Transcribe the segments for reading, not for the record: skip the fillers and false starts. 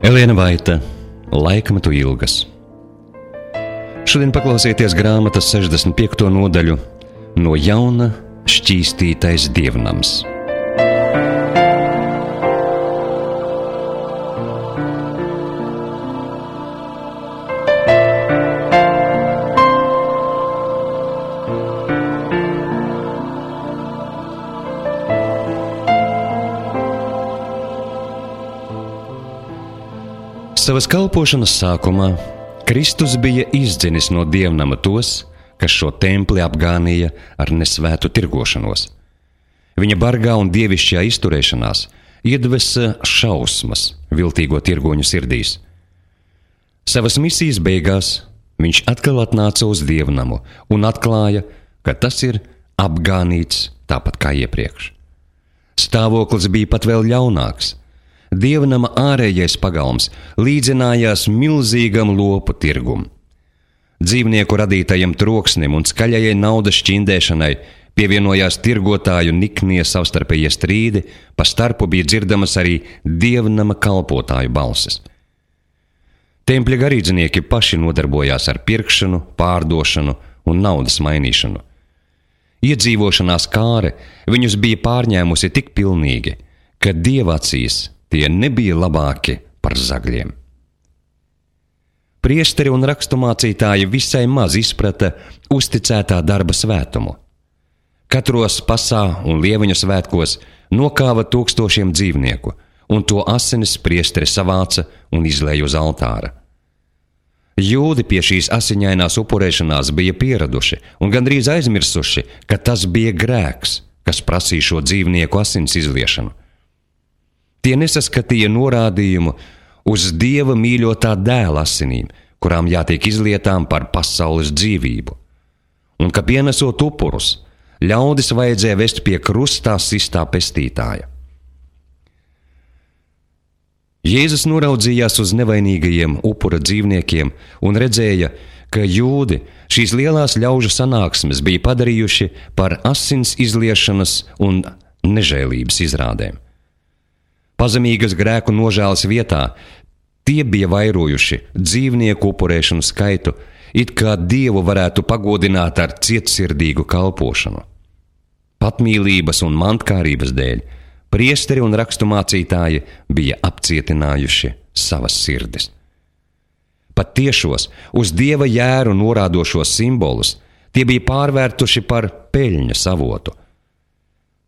Elēna Vaita, Laikmetu ilgas. Šodien paklausieties grāmatas 65. nodaļu No jauna šķīstītais dievnams. Savas kalpošanas sākumā Kristus bija izdzinis no dievnama tos, kas šo templi apgānīja ar nesvētu tirgošanos. Viņa bargā un dievišķajā izturēšanās iedvesa šausmas viltīgo tirgoņu sirdīs. Savas misijas beigās viņš atkal atnāca uz dievnamu un atklāja, ka tas ir apgānīts tāpat kā iepriekš. Stāvoklis bija pat vēl ļaunāks. Dievnama ārējais pagalms līdzinājās milzīgam lopu tirgum. Dzīvnieku radītajam troksnim un skaļajai naudas šķindēšanai pievienojās tirgotāju niknie savstarpējie strīdi, pa starpu bija dzirdamas arī dievnama kalpotāju balsis. Tempļa garīdznieki paši nodarbojās ar pirkšanu, pārdošanu un naudas mainīšanu. Iedzīvošanās kāre viņus bija pārņēmusi tik pilnīgi, ka Dieva acīs tie nebija labāki par zagļiem. Priesteri un raksturmācītāji visai maz izprata uzticētā darba svētumu. Katros pasā un lieveņu svētkos nokāva tūkstošiem dzīvnieku, un to asinis priesteri savāca un izlēja uz altāra. Jūdi pie šīs asiņainās upurēšanās bija pieraduši un gandrīz aizmirsuši, ka tas bija grēks, kas prasīja šo dzīvnieku asins izliešanu. Tie nesaskatīja norādījumu uz Dieva mīļotā dēla asinīm, kurām jātiek izlietām par pasaules dzīvību, un ka pienesot upurus, ļaudis vajadzēja vest pie krustā sistā pestītāja. Jēzus noraudzījās uz nevainīgajiem upura dzīvniekiem un redzēja, ka jūdi šīs lielās ļaužu sanāksmes bija padarījuši par asins izliešanas un nežēlības izrādēm. Pazemīgas grēku nožēlas vietā tie bija vairojuši dzīvnieku upurēšanu skaitu, it kā Dievu varētu pagodināt ar cietsirdīgu kalpošanu. Patmīlības un mantkārības dēļ priesteri un raksturmācītāji bija apcietinājuši savas sirdis. Pat tiešos, uz Dieva jēru norādošos simbolus tie bija pārvērtuši par peļņas avotu.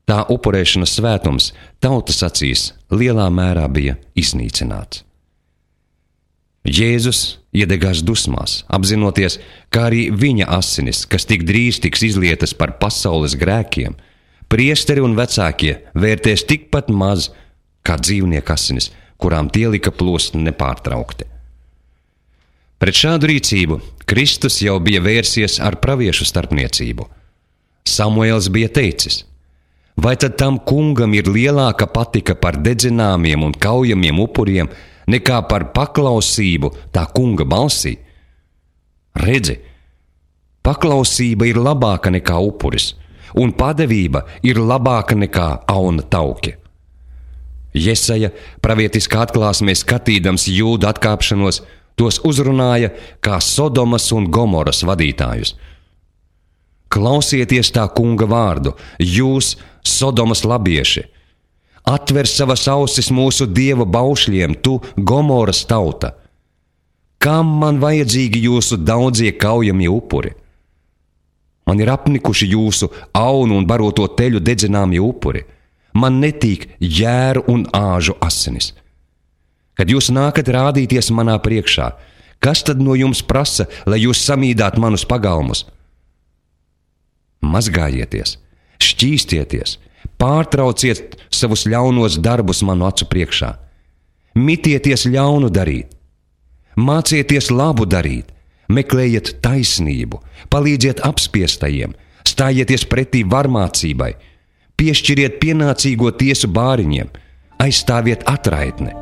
Tā upurēšanas svētums tautas acīs lielā mērā bija iznīcināts. Jēzus iedegās dusmās, apzinoties, kā arī viņa asinis, kas tik drīz tiks izlietas par pasaules grēkiem, priesteri un vecākie vērtēs tikpat maz kā dzīvnieku asinis, kurām tie lika plūst nepārtraukti. Pret šādu rīcību Kristus jau bija vērsies ar praviešu starpniecību. Samuēls bija teicis: vai tad tam kungam ir lielāka patika par dedzināmiem un kaujamiem upuriem, nekā par paklausību tā kunga balsī? Redzi, paklausība ir labāka nekā upuris, un padevība ir labāka nekā auna tauki. Jesaja pravietiskā atklāsmē skatīdams jūdu atkāpšanos, tos uzrunāja kā Sodomas un Gomoras vadītājus. Klausieties tā kunga vārdu, jūs, Sodomas labieši! Atver savas ausis mūsu Dieva baušļiem, tu, Gomoras tauta! Kam man vajadzīgi jūsu daudzie kaujamie upuri? Man ir apnikuši jūsu aunu un baroto teļu dedzināmie upuri. Man netīk jēru un āžu asinis. Kad jūs nākat rādīties manā priekšā, kas tad no jums prasa, lai jūs samīdāt manus pagalmus? Mazgājieties, šķīstieties, pārtrauciet savus ļaunos darbus manu acu priekšā. Mitieties ļaunu darīt, mācieties labu darīt, meklējiet taisnību, palīdziet apspiestajiem, stājieties pretī varmācībai, piešķiriet pienācīgo tiesu bāriņiem, aizstāviet atraitni.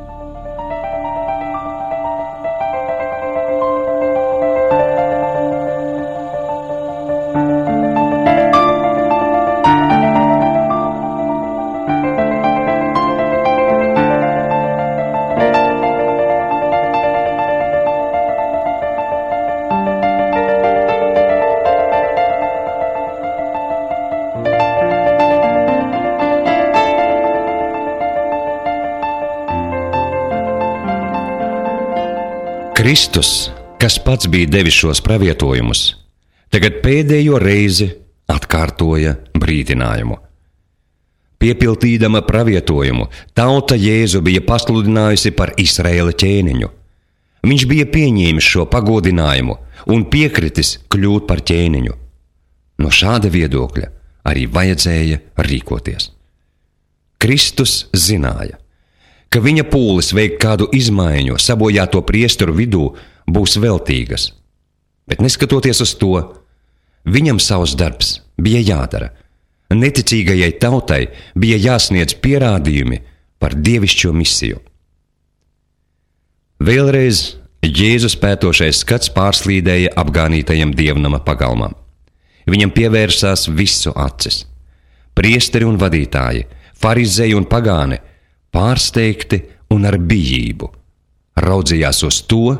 Kristus, kas pats bija devis šos pravietojumus, tagad pēdējo reizi atkārtoja brīdinājumu. Piepildīdama pravietojumu, tauta Jēzu bija pasludinājusi par Izraēla ķēniņu. Viņš bija pieņēmis šo pagodinājumu un piekritis kļūt par ķēniņu. No šāda viedokļa arī vajadzēja rīkoties. Kristus zināja, ka viņa pūles veikt kādu izmaiņu sabojāto priesteru vidū būs veltīgas, bet neskatoties uz to, viņam savs darbs bija jādara. Neticīgajai tautai bija jāsniedz pierādījumi par dievišķo misiju. Vēlreiz Jēzus pētošais skats pārslīdēja apgānītajam dievnama pagalmam. Viņam pievērsās visu acis. Priesteri un vadītāji, farizēji un pagāni, pārsteigti un ar bijību, raudzījās uz to,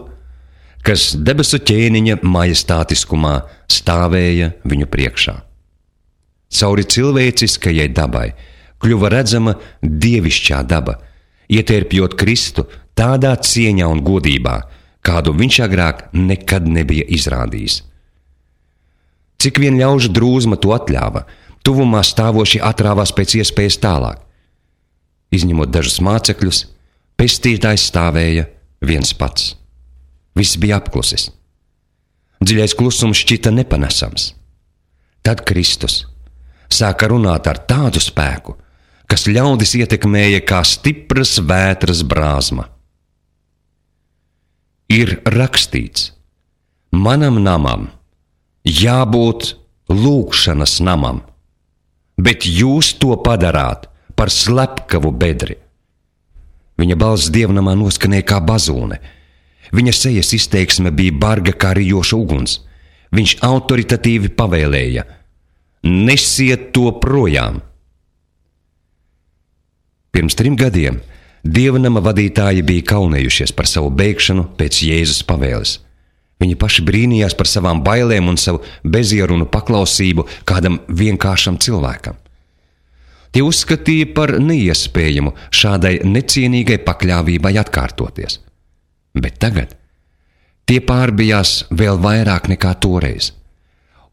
kas debesu ķēniņa majestātiskumā stāvēja viņu priekšā. Cauri cilvēciskajai dabai kļuva redzama dievišķā daba, ietērpjot Kristu tādā cieņā un godībā, kādu viņš agrāk nekad nebija izrādījis. Cik vien ļaužu drūzma to atļāva, tuvumā stāvoši atrāvās pēc iespējas tālāk. Izņemot dažus mācekļus, pestītājs stāvēja viens pats. Viss bija apklusis. Dziļais klusums šķita nepanesams. Tad Kristus sāka runāt ar tādu spēku, kas ļaudis ietekmēja kā stipras vētras brāzma. Ir rakstīts: manam namam jābūt lūgšanas namam, bet jūs to padarāt par slepkavu bedri. Viņa balss dievnamā noskanēja kā bazūne. Viņa sejas izteiksme bija barga kā rijoša uguns. Viņš autoritatīvi pavēlēja: nesiet to projām! Pirms 3 gadiem dievnama vadītāji bija kaunējušies par savu beigšanu pēc Jēzus pavēles. Viņi paši brīnījās par savām bailēm un savu bezierunu paklausību kādam vienkāršam cilvēkam. Tie uzskatīja par neiespējamu šādai necienīgai pakļāvībai atkārtoties. Bet tagad tie pārbijās vēl vairāk nekā toreiz,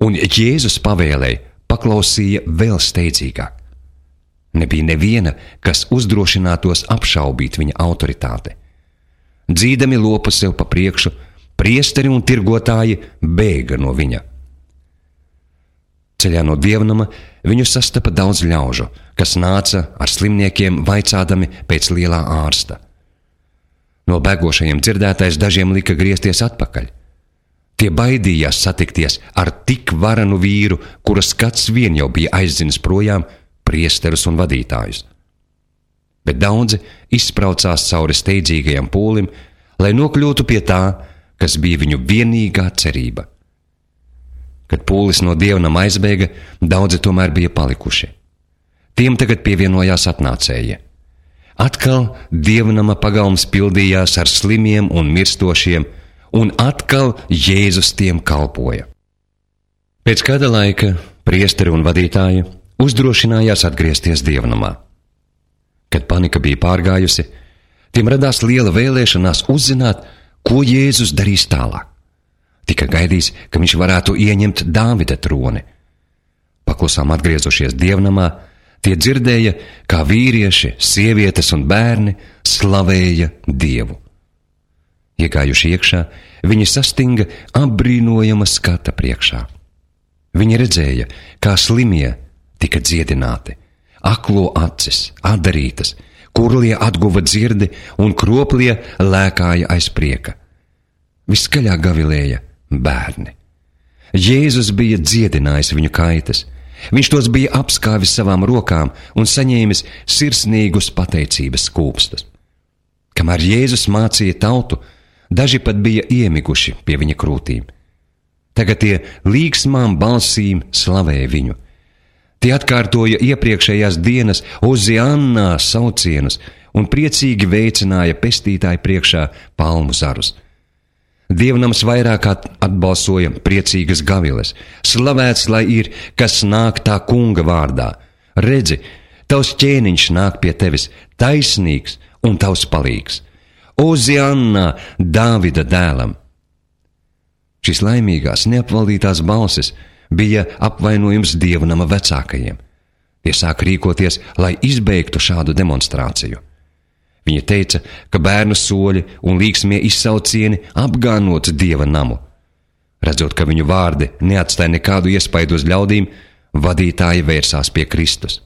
un Jēzus pavēlei paklausīja vēl steidzīgāk. Nebija neviena, kas uzdrošinātos apšaubīt viņa autoritāti. Dzīdami lopu sev pa priekšu, priesteri un tirgotāji bēga no viņa. Ceļā no dievnama viņu sastapa daudz ļaužu, kas nāca ar slimniekiem vaicādami pēc lielā ārsta. No bēgošajiem dzirdētais dažiem lika griezties atpakaļ. Tie baidījās satikties ar tik varanu vīru, kura skats vien jau bija aizdzinis projām priesterus un vadītājus. Bet daudzi izspraucās cauri steidzīgajam pūlim, lai nokļūtu pie tā, kas bija viņu vienīgā cerība. Kad pūlis no dievnama aizbēga, daudzi tomēr bija palikuši. Tiem tagad pievienojās atnācēji. Atkal dievnama pagalms pildījās ar slimiem un mirstošiem, un atkal Jēzus tiem kalpoja. Pēc kāda laika priesteri un vadītāji uzdrošinājās atgriezties dievnamā. Kad panika bija pārgājusi, tiem radās liela vēlēšanās uzzināt, ko Jēzus darīs tālāk. Tika gaidīts, ka viņš varētu ieņemt Dāvida troni. Paklusām atgriezušies dievnamā, tie dzirdēja, kā vīrieši, sievietes un bērni slavēja Dievu. Iegājuši iekšā, viņi sastinga apbrīnojama skata priekšā. Viņi redzēja, kā slimie tika dziedināti, aklo acis atdarītas, kurlie atguva dzirdi un kroplie lēkāja aiz prieka. Viskaļāk gavilēja bērni. Jēzus bija dziedinājis viņu kaitas. Viņš tos bija apskāvis savām rokām un saņēmis sirsnīgus pateicības skūpstus. Kamēr Jēzus mācīja tautu, daži pat bija iemiguši pie viņa krūtīm. Tagad tie līgsmām balsīm slavēja viņu. Tie atkārtoja iepriekšējās dienas Oziannā saucienus un priecīgi veicināja pestītāju priekšā palmu zarus. Dievnams vairāk atbalsoja priecīgas gaviles. Slavēts, lai ir, kas nāk tā kunga vārdā. Redzi, tavs ķēniņš nāk pie tevis, taisnīgs un tavs palīgs. Ozianna, Dāvida dēlam! Šīs laimīgās, neapvaldītās balsis bija apvainojums dievnama vecākajiem. Tie sāka rīkoties, lai izbeigtu šādu demonstrāciju. Viņa teica, ka bērnu soļi un līksmie izsaucieni apgānot dieva namu. Redzot, ka viņu vārdi neatstāja nekādu iespaidu uz ļaudīm, vadītāji vērsās pie Kristus.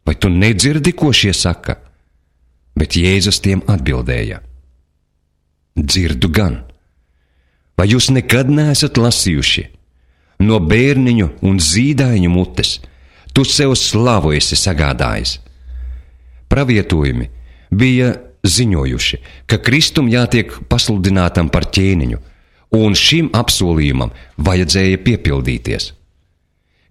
Vai tu nedzirdi, ko šie saka? Bet Jēzus tiem atbildēja: dzirdu gan. Vai jūs nekad neesat lasījuši? No bērniņu un zīdaiņu mutes tu sev slavu esi sagādājis. Pravietojumi bija ziņojuši, ka Kristum jātiek pasludinātam par ķēniņu, un šim apsolījumam vajadzēja piepildīties.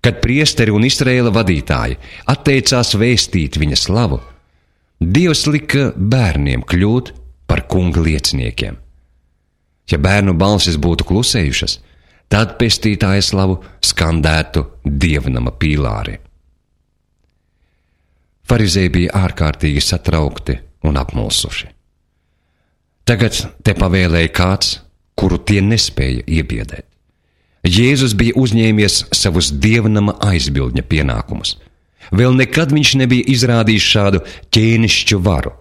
Kad priesteri un Izraēla vadītāji atteicās vēstīt viņa slavu, Dievs lika bērniem kļūt par kunga lieciniekiem. Ja bērnu balsis būtu klusējušas, tad pestītāja slavu skandētu dievnama pīlāri. Farizēji bija ārkārtīgi satraukti un apmulsuši. Tagad te pavēlēja kāds, kuru tie nespēja iebiedēt. Jēzus bija uzņēmies savus dievnama aizbildņa pienākumus. Vēl nekad viņš nebija izrādījis šādu ķēnišķu varu.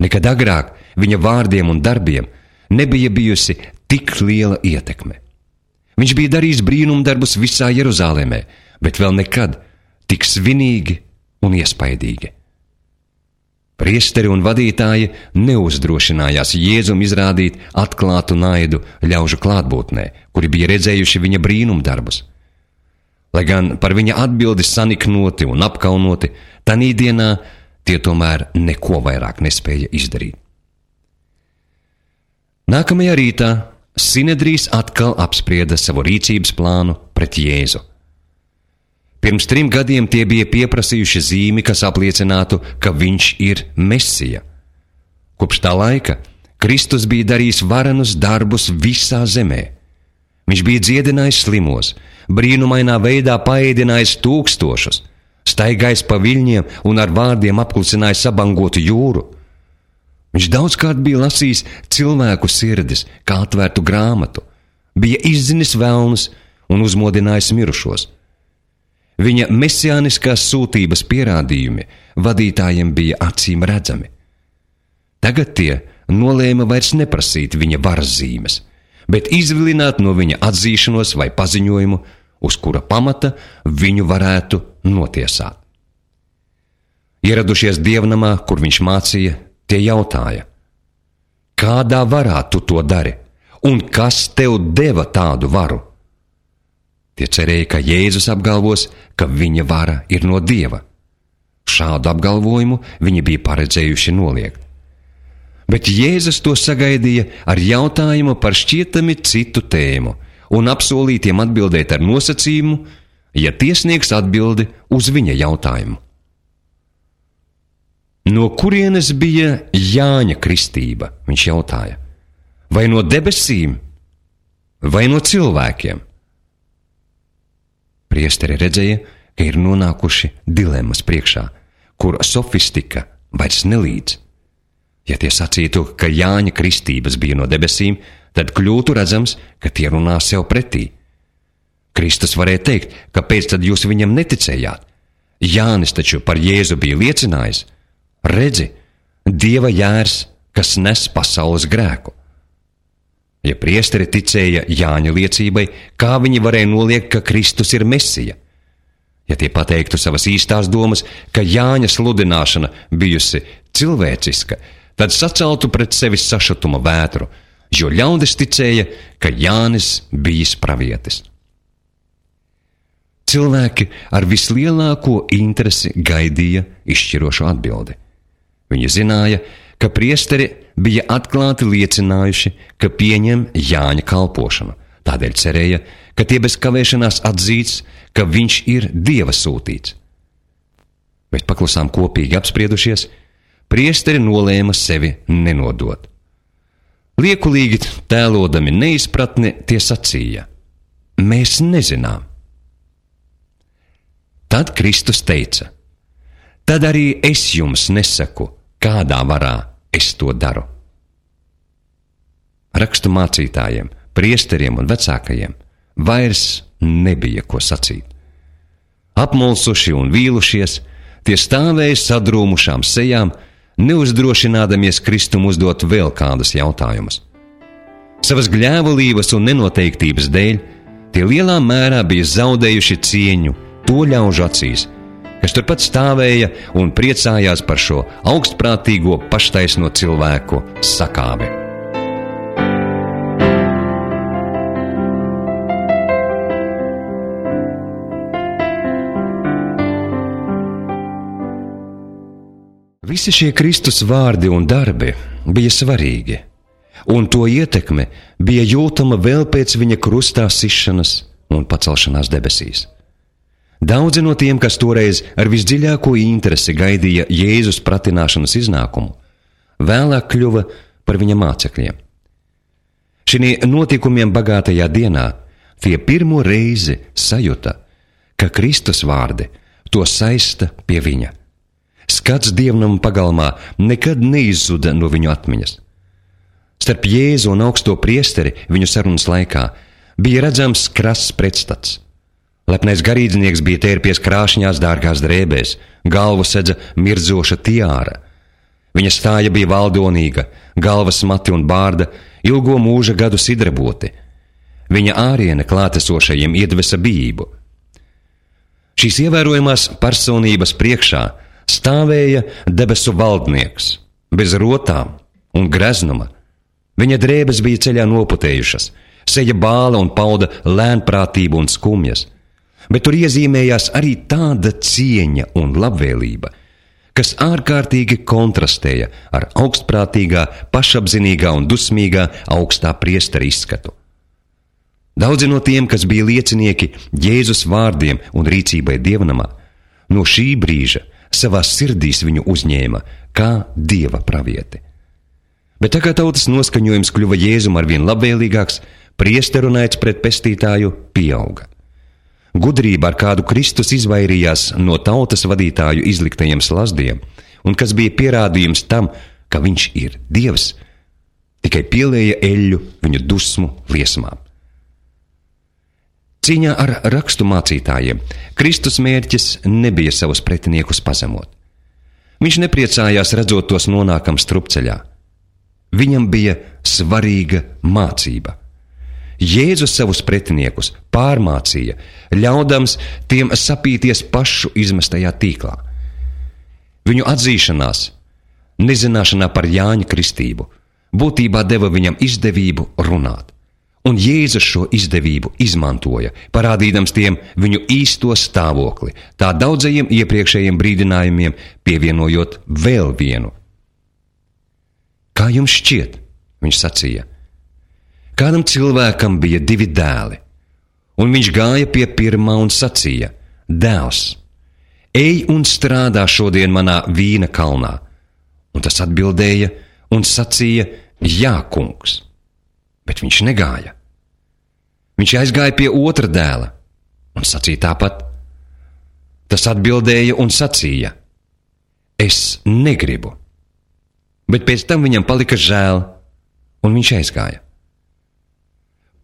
Nekad agrāk viņa vārdiem un darbiem nebija bijusi tik liela ietekme. Viņš bija darījis brīnumdarbus visā Jeruzālēmē, bet vēl nekad tik svinīgi un iespaidīgi. Priesteri un vadītāji neuzdrošinājās Jēzum izrādīt atklātu naidu ļaužu klātbūtnē, kuri bija redzējuši viņa brīnumdarbus. Lai gan par viņa atbildi saniknoti un apkaunoti, tanī dienā tie tomēr neko vairāk nespēja izdarīt. Nākamajā rītā Sinedrijs atkal apsprieda savu rīcības plānu pret Jēzu. Pirms 3 gadiem tie bija pieprasījuši zīmi, kas apliecinātu, ka viņš ir Mesija. Kopš tā laika Kristus bija darījis varenus darbus visā zemē. Viņš bija dziedinājis slimos, brīnumainā veidā paēdinājis tūkstošus, staigājis pa viļņiem un ar vārdiem apklusinājis sabangotu jūru. Viņš daudzkārt bija lasījis cilvēku sirdis, kā atvērtu grāmatu, bija izzinis velnus un uzmodinājis mirušos. Viņa mesiāniskās sūtības pierādījumi vadītājiem bija acīm redzami. Tagad tie nolēma vairs neprasīt viņa varas zīmes, bet izvilināt no viņa atzīšanos vai paziņojumu, uz kura pamata viņu varētu notiesāt. Ieradušies dievnamā, kur viņš mācīja, tie jautāja: kādā varā tu to dari, un kas tev deva tādu varu? Tie cerēja, ka Jēzus apgalvos, ka viņa vara ir no Dieva. Šādu apgalvojumu viņi bija paredzējuši noliegt. Bet Jēzus to sagaidīja ar jautājumu par šķietami citu tēmu un apsolītiem atbildēt ar nosacījumu, ja tie sniegs atbildi uz viņa jautājumu. No kurienes bija Jāņa kristība, viņš jautāja? Vai no debesīm, vai no cilvēkiem? Priesteri redzēja, ka ir nonākuši dilemmas priekšā, kur sofistika vairs nelīdz. Ja tie sacītu, ka Jāņa kristības bija no debesīm, tad kļūtu redzams, ka tie runā sev pretī. Kristus varēja teikt, kāpēc tad jūs viņam neticējāt? Jānis taču par Jēzu bija liecinājis: redzi, Dieva jērs, kas nes pasaules grēku. Ja priesteri ticēja Jāņa liecībai, kā viņi varēja noliegt, ka Kristus ir Mesija? Ja tie pateiktu savas īstās domas, ka Jāņa sludināšana bijusi cilvēciska, tad saceltu pret sevi sašutuma vētru, jo ļaudis ticēja, ka Jānis bijis pravietis. Cilvēki ar vislielāko interesi gaidīja izšķirošu atbildi. Viņi zināja, ka priesteri bija atklāti liecinājuši, ka pieņem Jāņa kalpošanu. Tādēļ cerēja, ka tie bez kavēšanās atzīts, ka viņš ir Dieva sūtīts. Bet paklusām kopīgi apspriedušies, priesteri nolēma sevi nenodot. Liekulīgi tēlodami neizpratni, tie sacīja: mēs nezinām. Tad Kristus teica: tad arī es jums nesaku, kādā varā es to daru. rakstu mācītājiem, priesteriem un vecākajiem vairs nebija ko sacīt. Apmulsuši un vīlušies, tie stāvēja sadrūmušām sejām, neuzdrošinādamies Kristum uzdot vēl kādus jautājumus. Savas gļēvulības un nenoteiktības dēļ tie lielā mērā bija zaudējuši cieņu to ļaužu acīs, kas turpat stāvēja un priecājās par šo augstprātīgo paštaisno cilvēku sakāvi. Visi šie Kristus vārdi un darbi bija svarīgi, un to ietekme bija jūtama vēl pēc viņa krustā sišanas un pacelšanās debesīs. Daudzi no tiem, kas toreiz ar visdziļāko interesi gaidīja Jēzus pratināšanas iznākumu, vēlāk kļuva par viņa mācekļiem. Šī notikumiem bagātajā dienā tie pirmo reizi sajuta, ka Kristus vārdi to saista pie viņa. Skats dievnama pagalmā nekad neizzuda no viņu atmiņas. Starp Jēzu un augsto priesteri viņu sarunas laikā bija redzams krasts pretstats. Lepnais garīdznieks bija tērpies krāšņās dārgās drēbēs, galvu sedza mirdzoša tiāra. Viņa stāja bija valdonīga, galvas mati un bārda, ilgo mūža gadu sidraboti. Viņa āriene klātesošajiem iedvesa bijību. Šīs ievērojamās personības priekšā stāvēja debesu valdnieks, bez rotām un greznuma. Viņa drēbes bija ceļā noputējušas, seja bāla un pauda lēnprātību un skumjas, bet tur iezīmējās arī tāda cieņa un labvēlība, kas ārkārtīgi kontrastēja ar augstprātīgā, pašapzinīgā un dusmīgā augstā priestera izskatu. Daudzi no tiem, kas bija liecinieki Jēzus vārdiem un rīcībai dievnamā, no šī brīža savās sirdīs viņu uzņēma kā dieva pravieti. Bet tā kā tautas noskaņojums kļuva Jēzum arvien labvēlīgāks, priesteru naids pret pestītāju pieauga. Gudrība, ar kādu Kristus izvairījās no tautas vadītāju izliktajiem slazdiem, un kas bija pierādījums tam, ka viņš ir Dievs, tikai pielēja eļļu viņu dusmu liesmām. Cīņā ar rakstu mācītājiem Kristus mērķis nebija savus pretiniekus pazemot. Viņš nepriecājās redzot tos nonākam strupceļā. Viņam bija svarīga mācība. Jēzus savus pretiniekus pārmācīja, ļaudams tiem sapīties pašu izmestajā tīklā. Viņu atzīšanās, nezināšanā par Jāņa kristību, būtībā deva viņam izdevību runāt. Un Jēzus šo izdevību izmantoja, parādīdams tiem viņu īsto stāvokli, tā daudzajiem iepriekšējiem brīdinājumiem pievienojot vēl vienu. Kā jums šķiet, viņš sacīja, kādam cilvēkam bija 2 dēli, un viņš gāja pie pirmā un sacīja, dēls, ej un strādā šodien manā vīna kalnā. Un tas atbildēja un sacīja, jā, kungs, bet viņš negāja. Viņš aizgāja pie otra dēla un sacīja tāpat. Tas atbildēja un sacīja, es negribu. Bet pēc tam viņam palika žēl, un viņš aizgāja.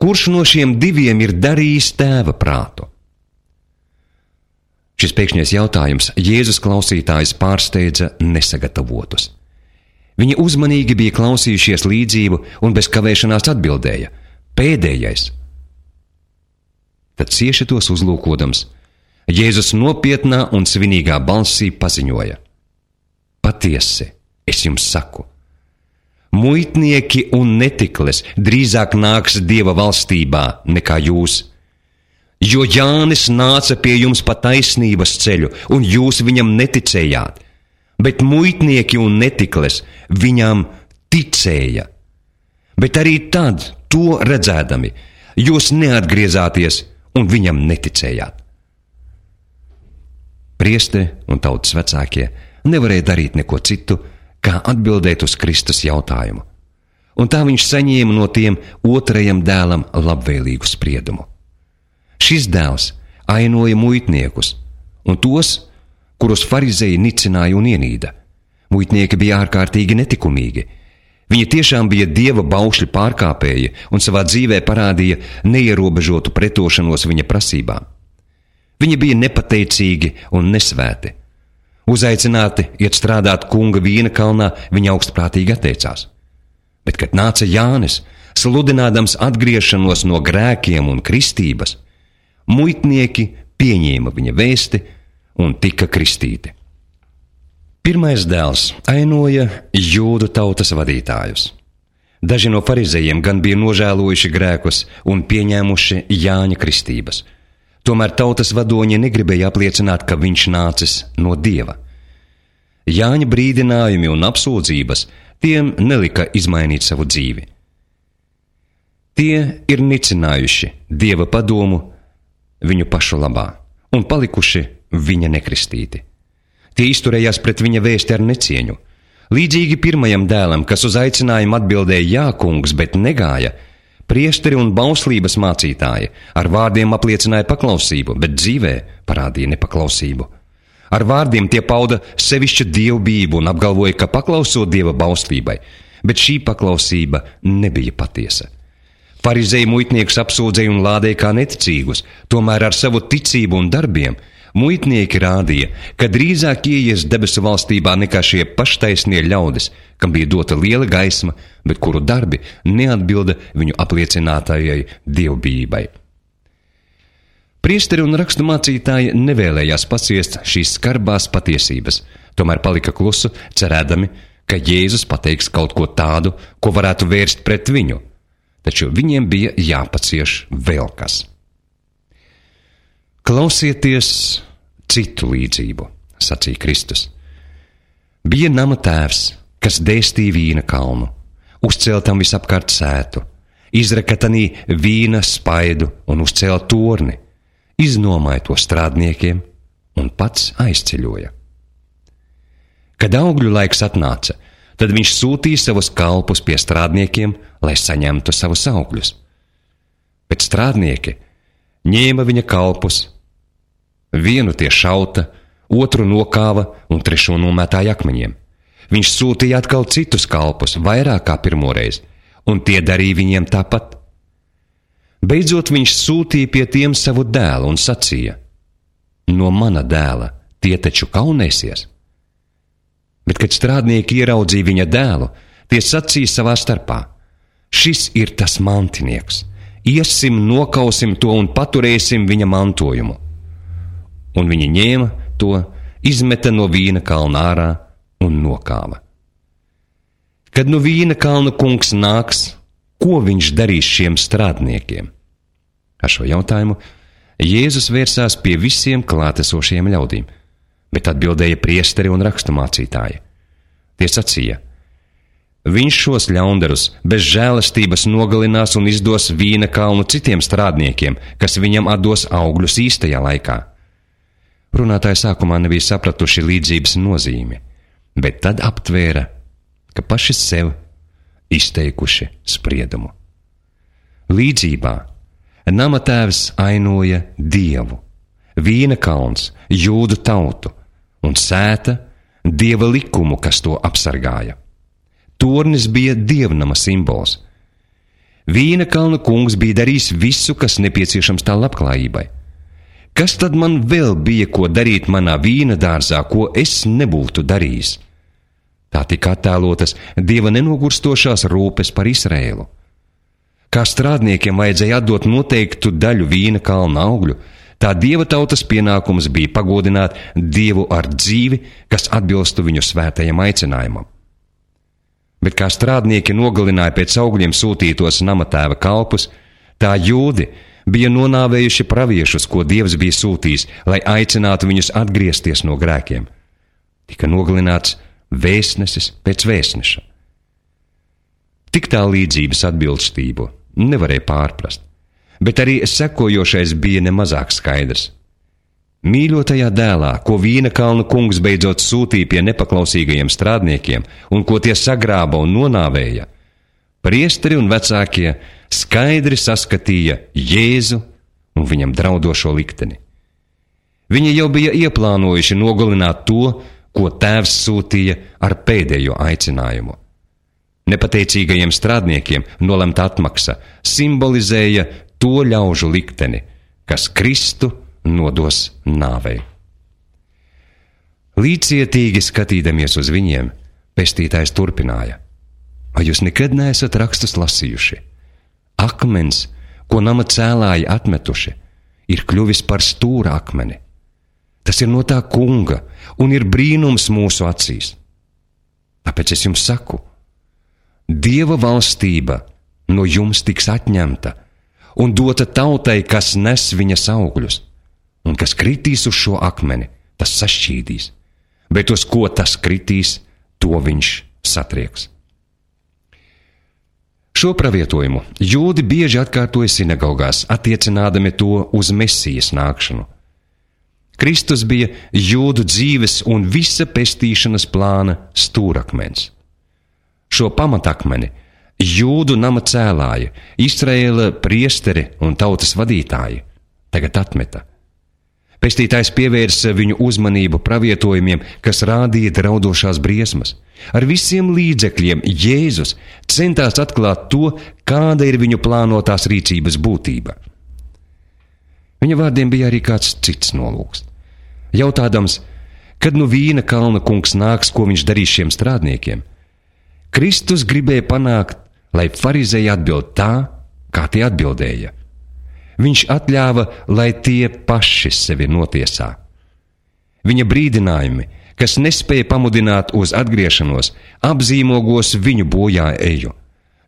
Kurš no šiem 2 ir darījis tēva prātu? Šis pēkšņais jautājums Jēzus klausītājs pārsteidza nesagatavotus. Viņi uzmanīgi bija klausījušies līdzību un bez kavēšanās atbildēja, pēdējais. Tad cieši tos uzlūkodams, Jēzus nopietnā un svinīgā balsī paziņoja, patiesi, es jums saku, muitnieki un netikles drīzāk nāks Dieva valstībā nekā jūs, jo Jānis nāca pie jums pa taisnības ceļu, un jūs viņam neticējāt, bet muitnieki un netikles viņam ticēja. Bet arī tad, to redzēdami, jūs neatgriezāties un viņam neticējāt. Priesteri un tautas vecākie nevarēja darīt neko citu, kā atbildēt uz Kristus jautājumu. Un tā viņš saņēma no tiem otrajam dēlam labvēlīgu spriedumu. Šis dēls ainoja muitniekus un tos, kurus farizeji nicināja un ienīda. Muitnieki bija ārkārtīgi netikumīgi. Viņi tiešām bija Dieva baušļu pārkāpēji un savā dzīvē parādīja neierobežotu pretošanos viņa prasībām. Viņi bija nepateicīgi un nesvēti. Uzaicināti iet strādāt kunga vīna kalnā, viņi augstprātīgi atteicās. Bet, kad nāca Jānis, sludinādams atgriešanos no grēkiem un kristības, muitnieki pieņēma viņa vēsti un tika kristīti. Pirmais dēls ainoja jūdu tautas vadītājus. Daži no farizejiem gan bija nožēlojuši grēkus un pieņēmuši Jāņa kristības. Tomēr tautas vadoņi negribēja apliecināt, ka viņš nācis no Dieva. Jāņa brīdinājumi un apsūdzības tiem nelika izmainīt savu dzīvi. Tie ir nicinājuši Dieva padomu viņu pašu labā un palikuši viņa nekristīti. Tie izturējās pret viņa vēsti ar necieņu. Līdzīgi pirmajam dēlam, kas uz aicinājumu atbildēja jā, kungs, bet negāja, priesteri un bauslības mācītāji ar vārdiem apliecināja paklausību, bet dzīvē parādīja nepaklausību. Ar vārdiem tie pauda sevišķu dievbijību un apgalvoja, ka paklausot Dieva bauslībai, bet šī paklausība nebija patiesa. Farizeji muitniekus apsūdzēja un lādēja kā neticīgus, tomēr ar savu ticību un darbiem muitnieki rādīja, ka drīzāk ieies debesu valstībā nekā šie paštaisnie ļaudis, kam bija dota liela gaisma, bet kuru darbi neatbilda viņu apliecinātājai dievbijībai. Priesteri un raksturmācītāji nevēlējās paciest šīs skarbās patiesības, tomēr palika klusu, cerēdami, ka Jēzus pateiks kaut ko tādu, ko varētu vērst pret viņu, taču viņiem bija jāpacieš vēl kas. Klausieties citu līdzību, sacīja Kristus. Bija nama tēvs, kas dēstīja vīna kalnu, uzcēla tam visapkārt sētu, izreka tanī vīna spaidu un uzcēla torni, iznomāja to strādniekiem un pats aizceļoja. Kad augļu laiks atnāca, tad viņš sūtīja savus kalpus pie strādniekiem, lai saņemtu savus augļus. Bet strādnieki ņēma viņa kalpus, vienu tie šauta, otru nokāva un trešo nomētāja akmeņiem. Viņš sūtīja atkal citus kalpus, vairāk kā pirmoreiz, un tie darīja viņiem tāpat. Beidzot viņš sūtīja pie tiem savu dēlu un sacīja: no mana dēla tie taču kaunēsies. Bet, kad strādnieki ieraudzīja viņa dēlu, tie sacīja savā starpā: šis ir tas mantinieks, iesim, nokausim to un paturēsim viņa mantojumu. Un viņi ņēma to, izmeta no vīna kalna ārā un nokāva. Kad no vīna kalna kungs nāks, ko viņš darīs šiem strādniekiem? Ar šo jautājumu Jēzus vērsās pie visiem klātesošiem ļaudīm, bet atbildēja priesteri un raksturmācītāji. Tie sacīja: viņš šos ļaundarus bez žēlastības nogalinās un izdos vīna kalnu citiem strādniekiem, kas viņam atdos augļus īstajā laikā. Runātāji sākumā nebija sapratuši līdzības nozīmi, bet tad aptvēra, ka paši sev izteikuši spriedumu. Līdzībā nama tēvs ainoja Dievu, vīna kalns jūdu tautu un sēta Dieva likumu, kas to apsargāja. Tornis bija dievnama simbols. Vīna kalna kungs bija darījis visu, kas nepieciešams tā labklājībai. Kas tad man vēl bija ko darīt manā vīna dārzā, ko es nebūtu darījis? Tā tika attēlotas Dieva nenogurstošās rūpes par Izraēlu. Kā strādniekiem vajadzēja atdot noteiktu daļu vīna kalna augļu, tā Dieva tautas pienākums bija pagodināt Dievu ar dzīvi, kas atbilstu viņu svētajam aicinājumam. Bet kā strādnieki nogalināja pēc augļiem sūtītos namatēva kalpus, tā jūdi bija nonāvējuši praviešus, ko Dievs bija sūtījis, lai aicinātu viņus atgriezties no grēkiem. Tika nogalināts vēstnesis pēc vēstneša. Tik tā līdzības atbilstību nevarēja pārprast, bet arī sekojošais bija nemazāk skaidrs. Mīļotajā dēlā, ko vīna kalnu kungs beidzot sūtīja pie nepaklausīgajiem strādniekiem un ko tie sagrāba un nonāvēja, priesteri un vecākie skaidri saskatīja Jēzu un viņam draudošo likteni. Viņi jau bija ieplānojuši nogalināt to, ko tēvs sūtīja ar pēdējo aicinājumu. Nepateicīgajiem strādniekiem nolemta atmaksa simbolizēja to ļaužu likteni, kas Kristu nodos nāvei. Līdzietīgi skatīdamies uz viņiem, pestītājs turpināja: vai jūs nekad neesat rakstus lasījuši? Akmens, ko nama cēlāji atmetuši, ir kļuvis par stūra akmeni. Tas ir no tā kunga un ir brīnums mūsu acīs. Tāpēc es jums saku, Dieva valstība no jums tiks atņemta un dota tautai, kas nes viņas augļus, un kas kritīs uz šo akmeni, tas sašķīdīs, bet uz ko tas kritīs, to viņš satrieks. Šo pravietojumu jūdi bieži atkārtoja sinagogās, attiecinādami to uz Mesijas nākšanu. Kristus bija jūdu dzīves un visa pestīšanas plāna stūrakmens. Šo pamatakmeni jūdu nama cēlāji, Izraēla priesteri un tautas vadītāji tagad atmeta. Pestītājs pievērsa viņu uzmanību pravietojumiem, kas rādīja draudošās briesmas. Ar visiem līdzekļiem Jēzus centās atklāt to, kāda ir viņu plānotās rīcības būtība. Viņa vārdiem bija arī kāds cits nolūks. Jautādams, kad nu vīna kalna kungs nāks, ko viņš darīs šiem strādniekiem, Kristus gribēja panākt, lai farizeji atbild tā, kā tie atbildēja. Viņš atļāva, lai tie paši sevi notiesā. Viņa brīdinājumi, kas nespēja pamudināt uz atgriešanos, apzīmogos viņu bojā eju.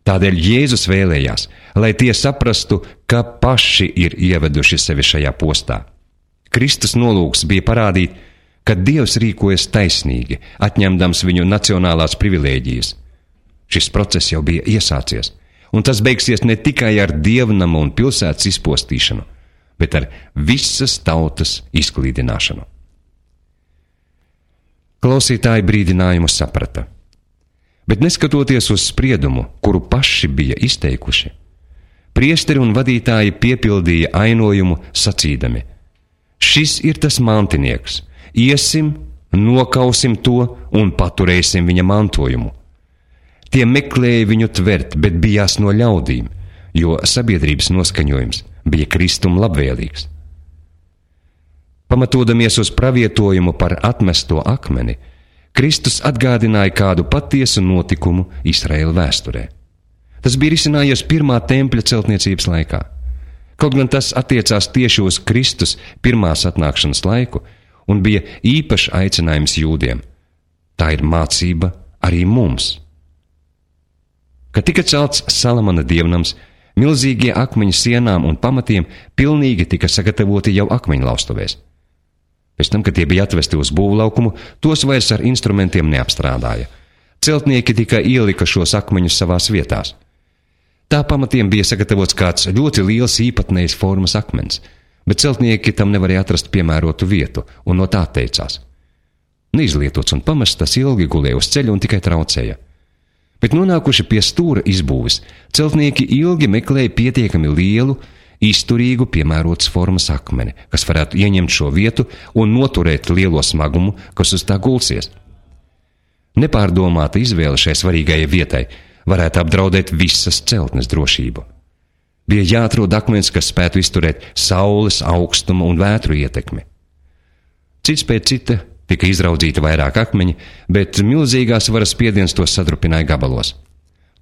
Tādēļ Jēzus vēlējās, lai tie saprastu, ka paši ir ieveduši sevi šajā postā. Kristus nolūks bija parādīt, ka Dievs rīkojas taisnīgi, atņemdams viņu nacionālās privilēģijas. Šis process jau bija iesācies, un tas beigsies ne tikai ar dievnama un pilsētas izpostīšanu, bet ar visas tautas izklīdināšanu. Klausītāji brīdinājumu saprata, bet neskatoties uz spriedumu, kuru paši bija izteikuši, priesteri un vadītāji piepildīja ainojumu sacīdami: šis ir tas mantinieks, iesim, nokausim to un paturēsim viņa mantojumu. Tie meklēja viņu tvert, bet bijās no ļaudīm, jo sabiedrības noskaņojums bija Kristum labvēlīgs. Pamatodamies uz pravietojumu par atmesto akmeni, Kristus atgādināja kādu patiesu notikumu Izraēla vēsturē. Tas bija risinājies pirmā tempļa celtniecības laikā. Kaut gan tas attiecās tieši uz Kristus pirmās atnākšanas laiku un bija īpašs aicinājums jūdiem. Tā ir mācība arī mums. Kad tika celts Salamana dievnams, milzīgie akmeņu sienām un pamatiem pilnīgi tika sagatavoti jau akmeņlaustuvēs. Pēc tam, kad tie bija atvesti uz būvlaukumu, tos vairs ar instrumentiem neapstrādāja. Celtnieki tikai ielika šos akmeņus savās vietās. Tā pamatiem bija sagatavots kāds ļoti liels īpatnējas formas akmens, bet celtnieki tam nevarēja atrast piemērotu vietu un no tā atteicās. Neizlietots un pamests, tas ilgi gulēja uz ceļa un tikai traucēja. Bet nonākuši pie stūra izbūves, celtnieki ilgi meklēja pietiekami lielu, izturīgu, piemērotas formas akmeni, kas varētu ieņemt šo vietu un noturēt lielo smagumu, kas uz tā gulsies. Nepārdomāta izvēle šai svarīgajai vietai varētu apdraudēt visas celtnes drošību. Bija jāatrod akmens, kas spētu izturēt saules, augstuma un vētru ietekmi. Cits pēc cita tika izraudzīti vairāk akmeņi, bet milzīgās varas spiediens tos sadrupināja gabalos.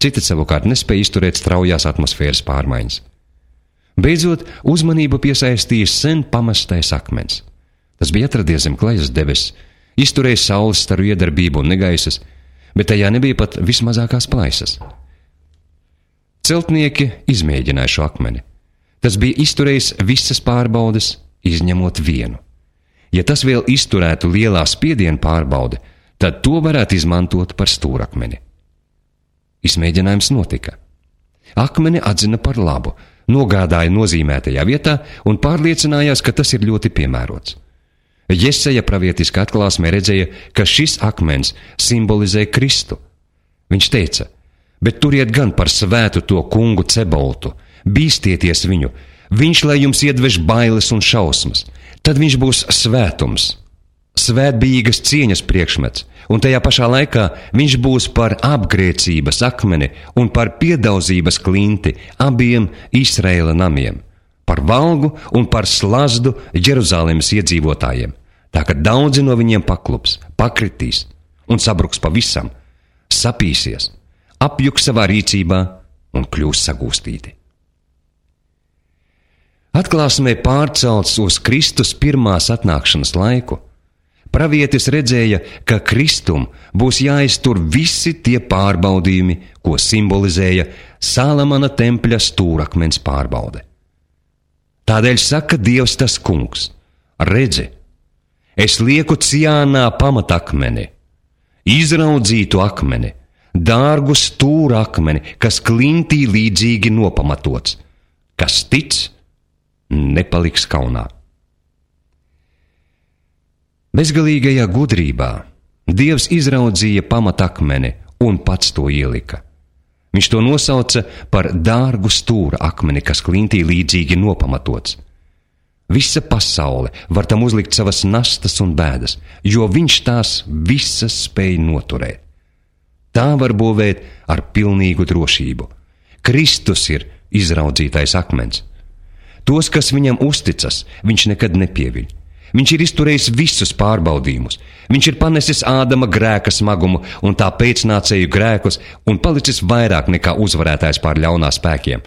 Citi savukārt nespēja izturēt straujās atmosfēras pārmaiņas. Beidzot, uzmanību piesaistīja sen pamestais akmens. Tas bija atradies zem klajas debesis, izturēja saules staru iedarbību un negaisas, bet tajā nebija pat vismazākās plaisas. Celtnieki izmēģināja šo akmeni. Tas bija izturējis visas pārbaudes, izņemot vienu. Ja tas vēl izturētu lielā spiediena pārbaude, tad to varētu izmantot par stūrakmeni. Izmēģinājums notika. Akmeni atzina par labu, nogādāja nozīmētajā vietā un pārliecinājās, ka tas ir ļoti piemērots. Jesaja pravietiskā atklāsmē redzēja, ka šis akmens simbolizē Kristu. Viņš teica: bet turiet gan par svētu to kungu Ceboltu, bīstieties viņu, viņš lai jums iedvež bailes un šausmas, tad viņš būs svētums, svētbijīgas cieņas priekšmets, un tajā pašā laikā viņš būs par apgrēcības akmeni un par piedaudzības klinti abiem Izraēla namiem, par valgu un par slazdu Jeruzalemes iedzīvotājiem, tā ka daudzi no viņiem paklups, pakritīs un sabruks pavisam, sapīsies, apjuks savā rīcībā un kļūs sagūstīti. Atklāsmē pārcelts uz Kristus pirmās atnākšanas laiku, pravietis redzēja, ka Kristum būs jāiztur visi tie pārbaudījumi, ko simbolizēja Salamana tempļa stūrakmens pārbaude. Tādēļ saka Dievs tas kungs: redzi, es lieku Ciānā pamatakmeni, izraudzītu akmeni, dārgu stūra akmeni, kas klintī līdzīgi nopamatots, kas tic, nepaliks kaunā. Bezgalīgajā gudrībā Dievs izraudzīja pamatakmeni un pats to ielika. Viņš to nosauca par dārgu stūra akmeni, kas klintī līdzīgi nopamatots. Visa pasaule var tam uzlikt savas nastas un bēdas, jo viņš tās visas spēj noturēt. Tā var būvēt ar pilnīgu drošību. Kristus ir izraudzītais akmens. Tos, kas viņam uzticas, viņš nekad nepieviļ. Viņš ir izturējis visus pārbaudījumus. Viņš ir panesis Ādama grēka smagumu un tā pēcnācēju grēkus un palicis vairāk nekā uzvarētājs pār ļaunā spēkiem.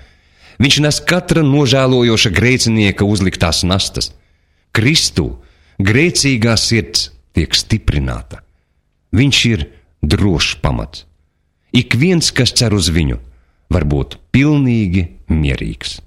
Viņš nes katra nožēlojoša grēcinieka uzliktās nastas. Kristū grēcīgā sirds tiek stiprināta. Viņš ir drošs pamats. Ik viens, kas cer uz viņu, var būt pilnīgi mierīgs.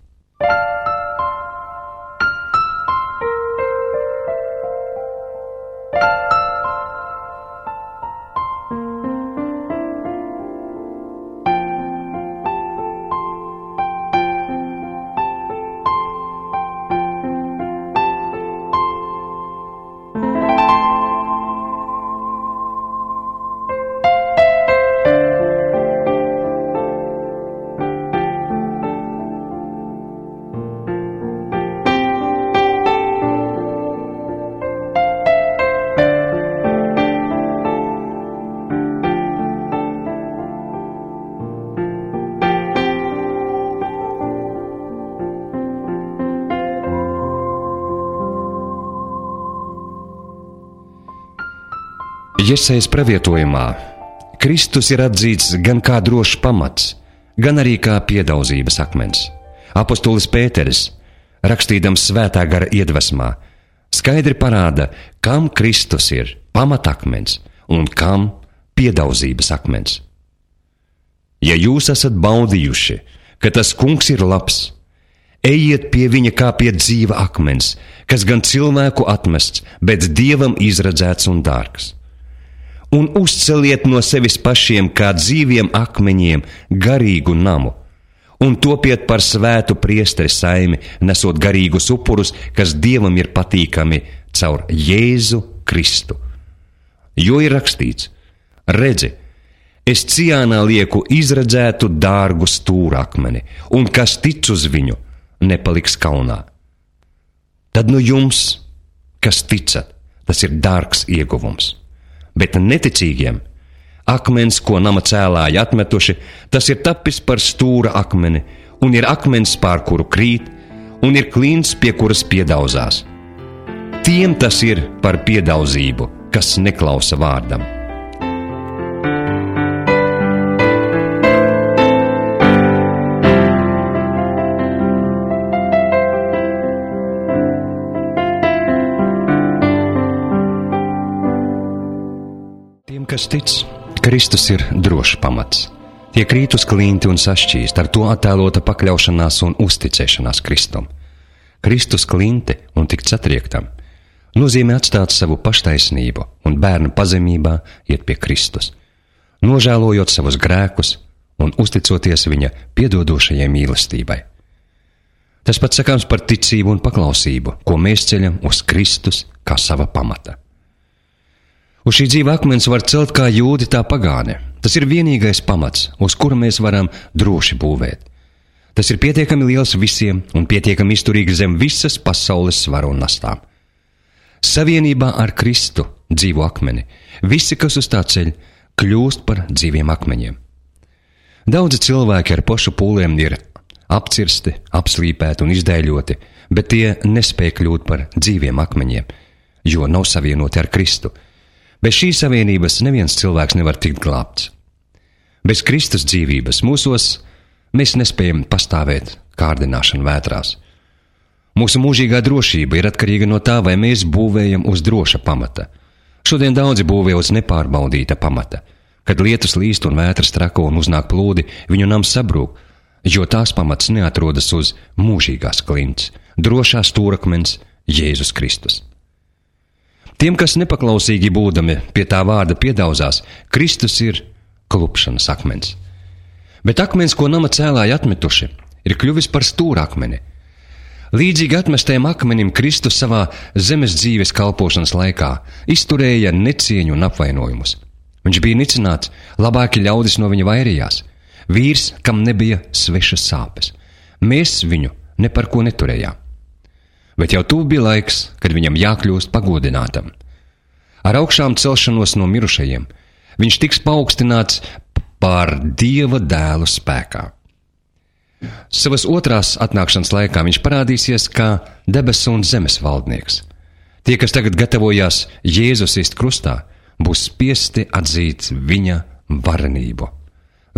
Jesajas pravietojumā Kristus ir atzīts gan kā drošs pamats, gan arī kā piedaudzības akmens. Apostolis Pēteris, rakstījams svētā gara iedvesmā, skaidri parāda, kam Kristus ir pamatakmens un kam piedaudzības akmens. Ja jūs esat baudījuši, ka tas kungs ir labs, ejiet pie viņa kā pie dzīva akmens, kas gan cilvēku atmests, bet Dievam izredzēts un dārgs. Un uzceliet no sevis pašiem kā dzīviem akmeņiem garīgu namu, un topiet par svētu priesteri saimi, nesot garīgus upurus, kas Dievam ir patīkami caur Jēzu Kristu. Jo ir rakstīts: redzi, es Ciānā lieku izredzētu dārgu stūrakmeni, un kas tic uz viņu, nepaliks kaunā. Tad nu jums, kas ticat, tas ir dārgs ieguvums. Bet neticīgiem akmens, ko nama cēlāji atmetuši, tas ir tapis par stūra akmeni, un ir akmens, pār kuru krīt, un ir klints, pie kuras piedaudzās. Tiem tas ir par piedaudzību, kas neklausa vārdam. Kas tic, Kristus ir drošs pamats. Tie krīt uz klinti un sašķīst, ar to attēlota pakļaušanās un uzticēšanās Kristum. Kristus klinti un tikt satriektam nozīmē atstāt savu paštaisnību un bērnu pazemībā iet pie Kristus, nožēlojot savus grēkus un uzticoties viņa piedodošajai mīlestībai. Tas pats sakāms par ticību un paklausību, ko mēs ceļam uz Kristus kā sava pamata. Uz šī dzīva akmens var celt kā jūdi, tā pagāne. Tas ir vienīgais pamats, uz kura mēs varam droši būvēt. Tas ir pietiekami liels visiem un pietiekami izturīgs zem visas pasaules svaru un nastām. Savienībā ar Kristu, dzīvo akmeni, visi, kas uz tā ceļ, kļūst par dzīviem akmeņiem. Daudzi cilvēki ar pašu pūliem ir apcirsti, apslīpēti un izdēļoti, bet tie nespēj kļūt par dzīviem akmeņiem, jo nav savienoti ar Kristu. Bez šīs savienības neviens cilvēks nevar tikt glābts. Bez Kristus dzīvības mūsos mēs nespējam pastāvēt kārdināšanu vētrās. Mūsu mūžīgā drošība ir atkarīga no tā, vai mēs būvējam uz droša pamata. Šodien daudzi būvē uz nepārbaudīta pamata. Kad lietus līst un vētras trako un uznāk plūdi, viņu nams sabrūk, jo tās pamats neatrodas uz mūžīgās klints, drošā stūrakmens Jēzus Kristus. Tiem, kas nepaklausīgi būdami pie tā vārda piedauzās, Kristus ir klupšanas akmens. Bet akmens, ko nama cēlāji atmetuši, ir kļuvis par stūrakmeni. Līdzīgi atmestajam akmenim Kristus savā zemes dzīves kalpošanas laikā izturēja necieņu un apvainojumus. Viņš bija nicināts, labāki ļaudis no viņa vairījās. Vīrs, kam nebija svešas sāpes. Mēs viņu ne par ko neturējām. Bet jau tuvu bija laiks, kad viņam jākļūst pagodinātam. Ar augšām celšanos no mirušajiem viņš tiks paaugstināts par Dieva dēlu spēkā. Savas otrās atnākšanas laikā viņš parādīsies kā debesu un zemes valdnieks. Tie, kas tagad gatavojās Jēzus ist krustā, būs spiesti atzīt viņa varenību.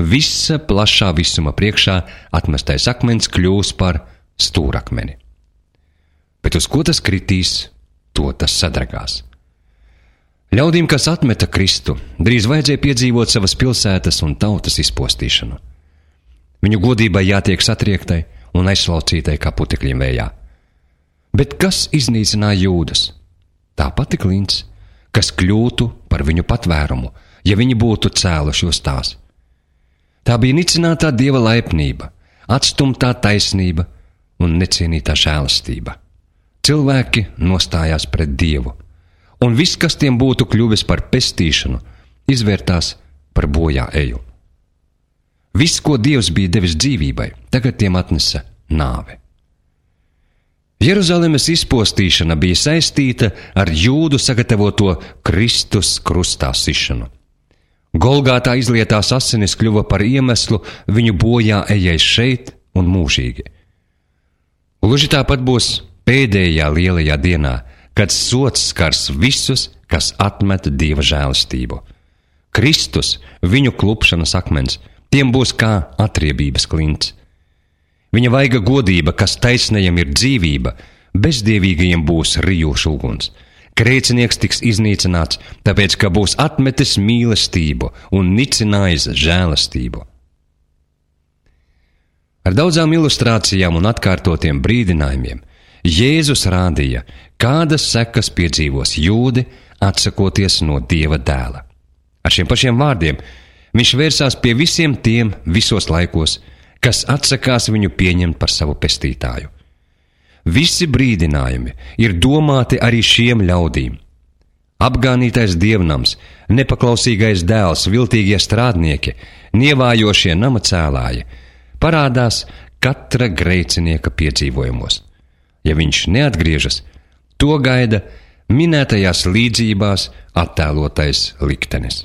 Visa plašā visuma priekšā atmestais akmens kļūs par stūrakmeni. Bet uz ko tas kritīs, to tas sadragās. Ļaudīm, kas atmeta Kristu, drīz vajadzēja piedzīvot savas pilsētas un tautas izpostīšanu. Viņu godībai jātiek satriektai un aizslaucītai kā putekļiem vējā. Bet kas iznīcināja Jūdas? Tā pati klints, kas kļūtu par viņu patvērumu, ja viņi būtu cēluši uz tās. Tā bija nicinātā Dieva laipnība, atstumtā taisnība un necienītā žēlastība. Cilvēki nostājās pret Dievu, un viss, kas tiem būtu kļuvis par pestīšanu, izvērtās par bojā eju. Viss, ko Dievs bija devis dzīvībai, tagad tiem atnesa nāve. Jeruzalemes izpostīšana bija saistīta ar Jūdu sagatavoto Kristus krustā sišanu. Golgātā izlietās asinis kļuva par iemeslu viņu bojā ejai šeit un mūžīgi. Gluži tāpat būs pēdējā lielajā dienā, kad sods skars visus, kas atmet Dieva žēlastību. Kristus, viņu klupšanas akmens, tiem būs kā atriebības klints. Viņa vaiga godība, kas taisnajam ir dzīvība, bezdievīgajiem būs rijošs uguns. Grēcinieks tiks iznīcināts, tāpēc, ka būs atmetis mīlestību un nicinājis žēlastību. Ar daudzām ilustrācijām un atkārtotiem brīdinājumiem Jēzus rādīja, kādas sekas piedzīvos jūdi, atsakoties no Dieva dēla. Ar šiem pašiem vārdiem viņš vērsās pie visiem tiem visos laikos, kas atsakās viņu pieņemt par savu pestītāju. Visi brīdinājumi ir domāti arī šiem ļaudīm. Apgānītais dievnams, nepaklausīgais dēls, viltīgie strādnieki, nievājošie nama cēlāji parādās katra grēcinieka piedzīvojumos. Ja viņš neatgriežas, to gaida minētajās līdzībās attēlotais liktenis.